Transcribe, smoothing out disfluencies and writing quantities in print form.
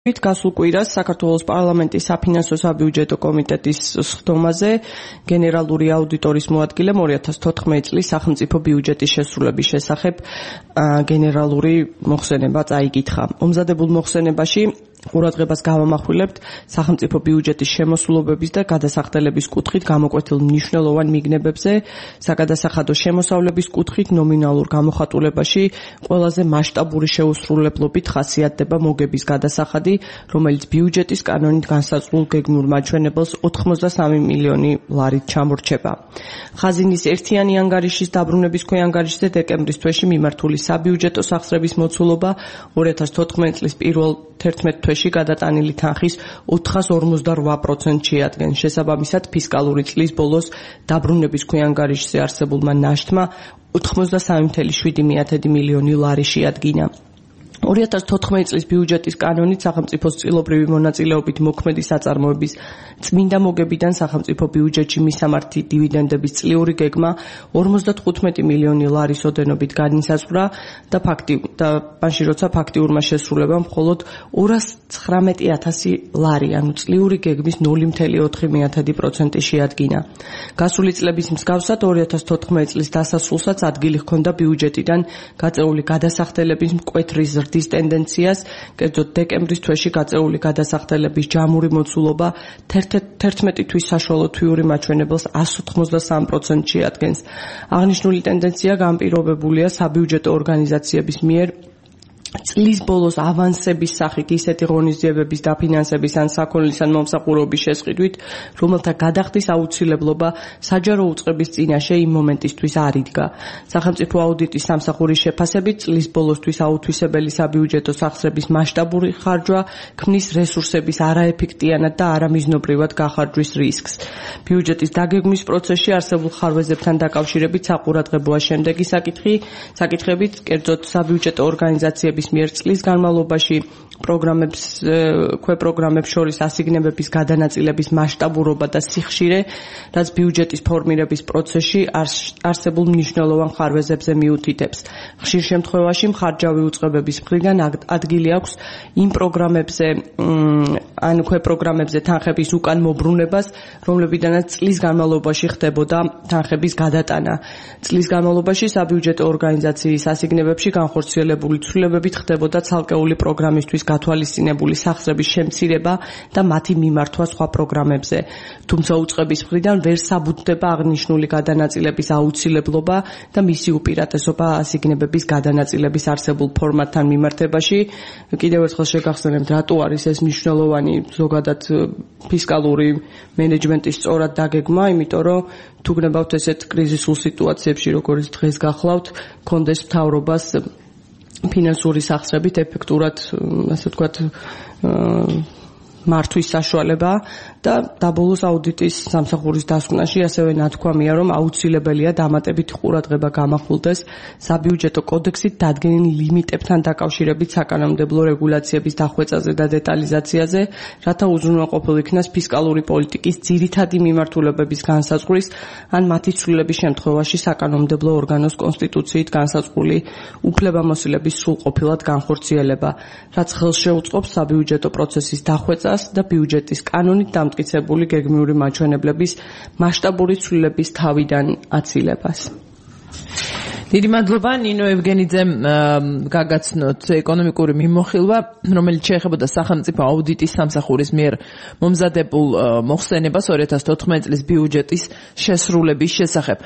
გასულ კვირას საქართველოს პარლამენტის საფინანსო საბიუჯეტო კომიტეტის სხდომაზე გენერალური აუდიტორის მოადგილემ 2014 წლის სახელმწიფო ბიუჯეტის შესრულების შესახებ გენერალური მოხსენება წაიკითხა. მომზადებულ მოხსენებაში ყურადღებას გავამახვილებთ სახელმწიფო ბიუჯეტის შემოსულობების და გადასახდელების კუთხით გამოკვეთილ მნიშვნელოვან მიგნებებზე, საგადასახადო შემოსავლების კუთხით ნომინალურ გამოხატულებაში ყველაზე მასშტაბური შეუსრულებლობით ხასიათდება მოგების გადასახადი, რომელიც ბიუჯეტის კანონით განსაზღვრულ გეგმურ მაჩვენებელს 83 მილიონი ლარით ჩამორჩება. ხაზინის ერთიანი ანგარიშის დაბრუნების ქვეანგარიშზე დეკემბრის თვეში მიმართული საბიუჯეტო სახსრების მოცულობა 2014 წლის პირველ 11 თვეში გადატანილი თანხის 458% შეადგენს. შესაბამისად, ფისკალური წლის ბოლოს დაბრუნების ქვეანგარიშზე არსებულმა ნაშთმა 83.7 მილიონი ლარი შეადგინა. 2014 წლის ბიუჯეტის კანონით სახელმწიფოს წილობრივი მონაწილეობით მოქმედი საწარმოების წმინდა მოგებიდან სახელმწიფო ბიუჯეტში მისამართი დივიდენდების წლიური გეგმა 55 მილიონი ლარის ოდენობით განისაზღვრა და მაშინ როცა ფაქტიურმა შესრულებამ მხოლოდ 219,000 ლარი, ანუ წლიური გეგმის 0.4% შეადგინა. გასული წლების მსგავსად 2014 წლის დასასრულსაც ადგილი ჰქონდა ბიუჯეტიდან გაწეული გადასახდელების მკვეთრი ზრდის ტენდენციას, კერძოდ დეკემბრის თვეში გაწეული გადასახდელების ჯამური მოცულობა 11 თვის საშუალო თვიური მაჩვენებელს 183% შეადგენს. აღნიშნული ტენდენცია განპირობებულია საბიუჯეტო ორგანიზაციების მიერ წლის ბოლოს ავანსების სახით ისეთი ღონისძიებების დაფინანსების ან საქონლის ან მომსახურების შესყიდვით, რომელთა გადახდის აუცილებლობა საჯარო უწყების წინაშე იმ მომენტისთვის არ იდგა. სახელმწიფო აუდიტის სამსახურის შეფასებით წლის ბოლოსთვის აუთვისებელი საბიუჯეტო სახსრების მასშტაბური ხარჯვა ქმნის რესურსების არაეფექტიანად და არამიზნობრივად გახარჯვის რისკს. ბიუჯეტის დაგეგმვის პროცესში არსებულ ხარვეზებთან დაკავშირებით საყურადღებოა შემდეგი საკითხებით, კერძოდ საბიუჯეტო ორგანიზაციების მიერ წლის განმავლობაში ქვეპროგრამებს შორის ასიგნებების გადანაწილების მასშტაბურობა და სიხშირე, რაც ბიუჯეტის ფორმირების პროცესში არსებულ მნიშვნელოვან ხარვეზებზე მიუთითებს. ხშირ შემთხვევაში მხარჯავი უწყებების მხრიდან ადგილი აქვს იმ პროგრამებზე ან ქვეპროგრამებზე თანხების უკან მობრუნებას, რომლებიდანაც წლის განმავლობაში ხდებოდა თანხების გადატანა. წლის განმავლობაში საბიუჯეტო ორგანიზაციის ასიგნებებში განხორციელებული ცვლილებებით ხდებოდა ცალკეული პროგრამისთვის გათვალისწინებული სახსრების შემცირება და მათი მიმართვა სხვა პროგრამებზე. თუმცა უწყების მხრიდან ვერ საბუთდება აღნიშნული გადანაწილების აუცილებლობა და მისი უპირატესობა ასიგნებების გადანაწილების არსებულ ფორმატთან მიმართებაში. კიდევ ერთხელ შეგახსენებთ, რატო არის ეს მნიშვნელოვანი ზოგადად ფისკალური მენეჯმენტის სწორად დაგეგმა, იმიტომ რომ თუ გნებავთ ესეთ კრიზისულ სიტუაციებში, როგორც დღეს გახლავთ, კონდეს მთავრობას ფინანსური სახსრებით ეფექტურად, ასე ვთქვათ, მართვის საშუალება და დაბოლოს აუდიტის სამსახურის დასკვნაში ასევე ნათქვამია, რომ აუცილებელია დამატებითი ყურადღება გამახვილდეს საბიუჯეტო კოდექსით დადგენილ ლიმიტებთან დაკავშირებით საკანონმდებლო რეგულაციების დახვეწაზე და დეტალიზაციაზე, რათა უზრუნველყოფილ იქნას ფისკალური პოლიტიკის ძირითადი მიმართულებების განსაზღვრის ან მათი ცვლილების შემთხვევაში საკანონმდებლო ორგანოს კონსტიტუციით განსაზღვრული უფლებამოსილების სრულყოფილად განხორციელება, რაც ხელს შეუწყობს საბიუჯეტო პროცესის დახვეწას და ბიუჯეტის კანონით დამტკიცებული გეგმიური მაჩვენებლების მასშტაბური ცვლილების თავიდან აცილებას. დიდი მადლობა ნინო ევგენიძემ გაგაცნოთ ეკონომიკური მიმოხილვა, რომელიც შეეხებოდა სახელმწიფო აუდიტის სამსახურის მიერ მომზადებულ მოხსენებას 2014 წლის ბიუჯეტის შესრულების შესახებ.